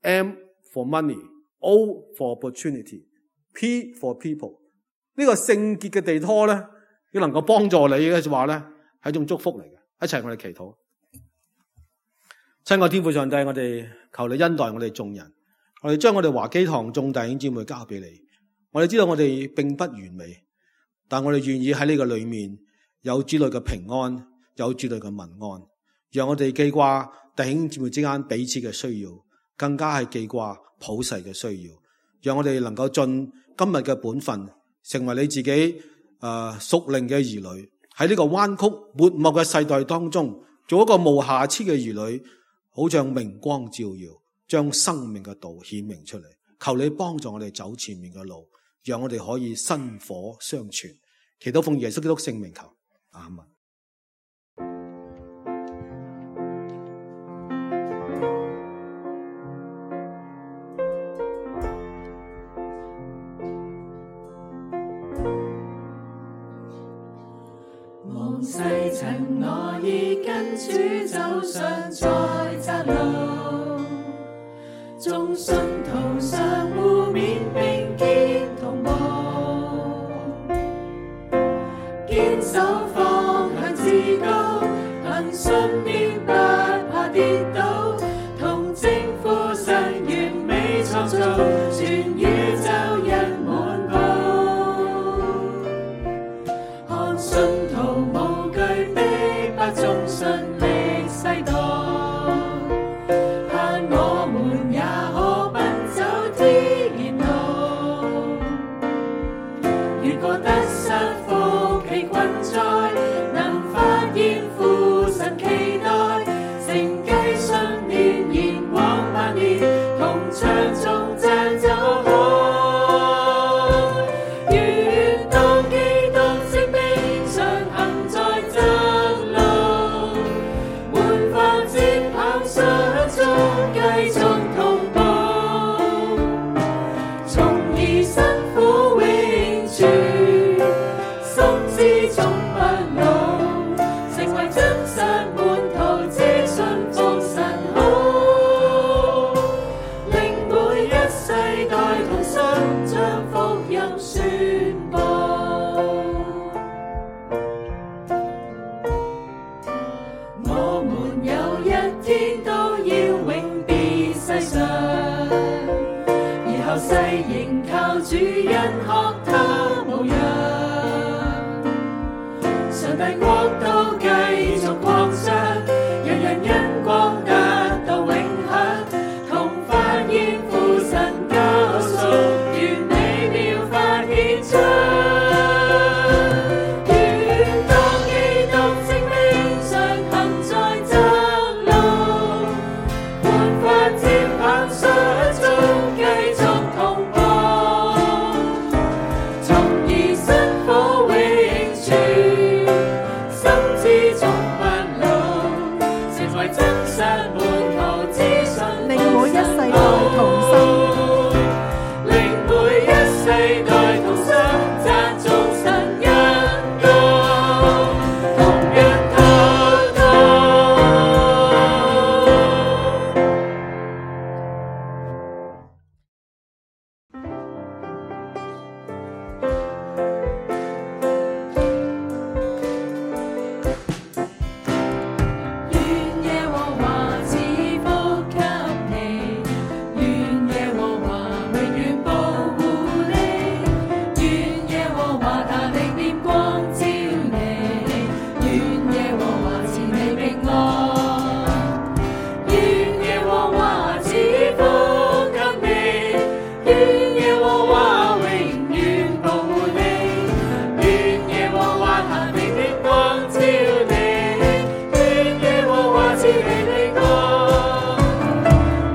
M for money，O for opportunity。P for people， 呢個聖潔嘅地拖咧，要能夠幫助你嘅話咧，係一種祝福嚟嘅。一齊我哋祈禱。親愛天父上帝，我哋求你恩待我哋眾人，我哋將我哋華基堂眾弟兄姊妹交俾你。我哋知道我哋並不完美，但我哋願意喺呢個裏面有主內嘅平安，有主內嘅民安，讓我哋記掛弟兄姊妹之間彼此嘅需要，更加係記掛普世嘅需要，讓我哋能夠盡今日嘅本分，成為你自己誒屬靈嘅兒女，喺呢個彎曲沒落嘅世代當中，做一個無瑕疵嘅兒女，好像明光照耀，將生命嘅道顯明出嚟。求你幫助我哋走前面嘅路，讓我哋可以薪火相傳。祈禱奉耶穌基督聖名求，阿們。往世塵我已跟主走上在窄路，眾信徒相互勉並肩同步，堅守方向至高，憑信念不怕跌倒，同征服神完美創造，全宇宙人滿布，看信徒無懼逼迫中順力世代，盼我們也可奔走天路，越過得失福氣困災，能發現父神期待，承繼信念延往萬年，同唱頌讚走開，願當基督聖名上行在窄路，滿發節跑相中繼續同步，從而辛苦永存，心之中不老，成為真實門徒，只信服神好，令每一世代同心將福音宣佈。我們有一天都要永別世上，而後世仍靠主恩學他模樣，上帝國度繼續擴張，人人因光得到永享，同發現父神救贖，完美妙法顯彰，願當基督聖名上行在窄路，滿發節跑相中繼續同步，從而辛苦永存，心之中不老，成為真實門徒，只信令每一世代同心，令每一世代同心讚頌神恩高，同日禱告。願耶和華賜福給你，願耶和華永遠保護你，願耶和華他的臉光照你，願耶和華賜你平安，願耶和華賜福給你，願耶和華永遠保護你，願耶和華他的臉光照你，願耶和華賜你平安，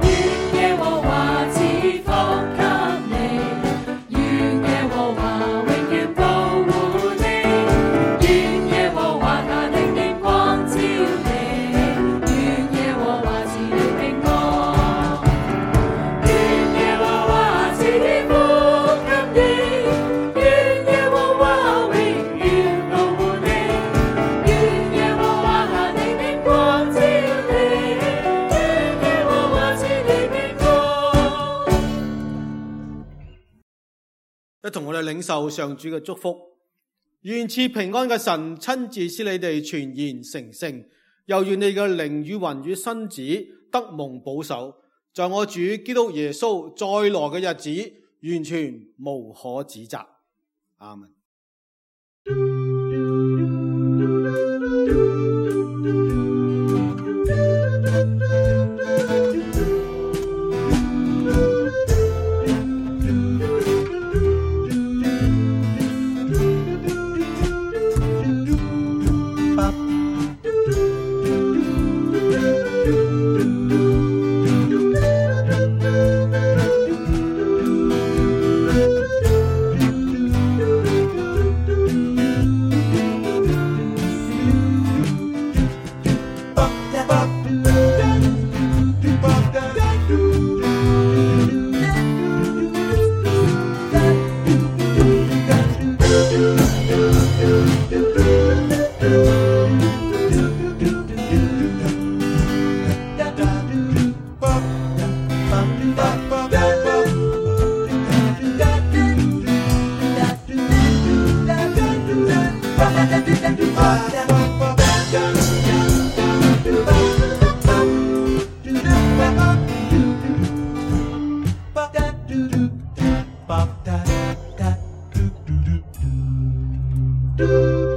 願耶和華賜福給你，願耶和華永遠保護你，願耶和華他的臉光照你，願耶和華賜你平安，願耶和華賜福給你，願耶和華永遠保護你，願耶和華他的臉光照你，願耶和華賜你平安。一同我哋領受上主嘅祝福，願賜平安嘅神親自使你哋全然成聖，又願你嘅靈與魂與身子得蒙保守，在我主基督耶穌再來嘅日子，完全無可指責。阿們。Do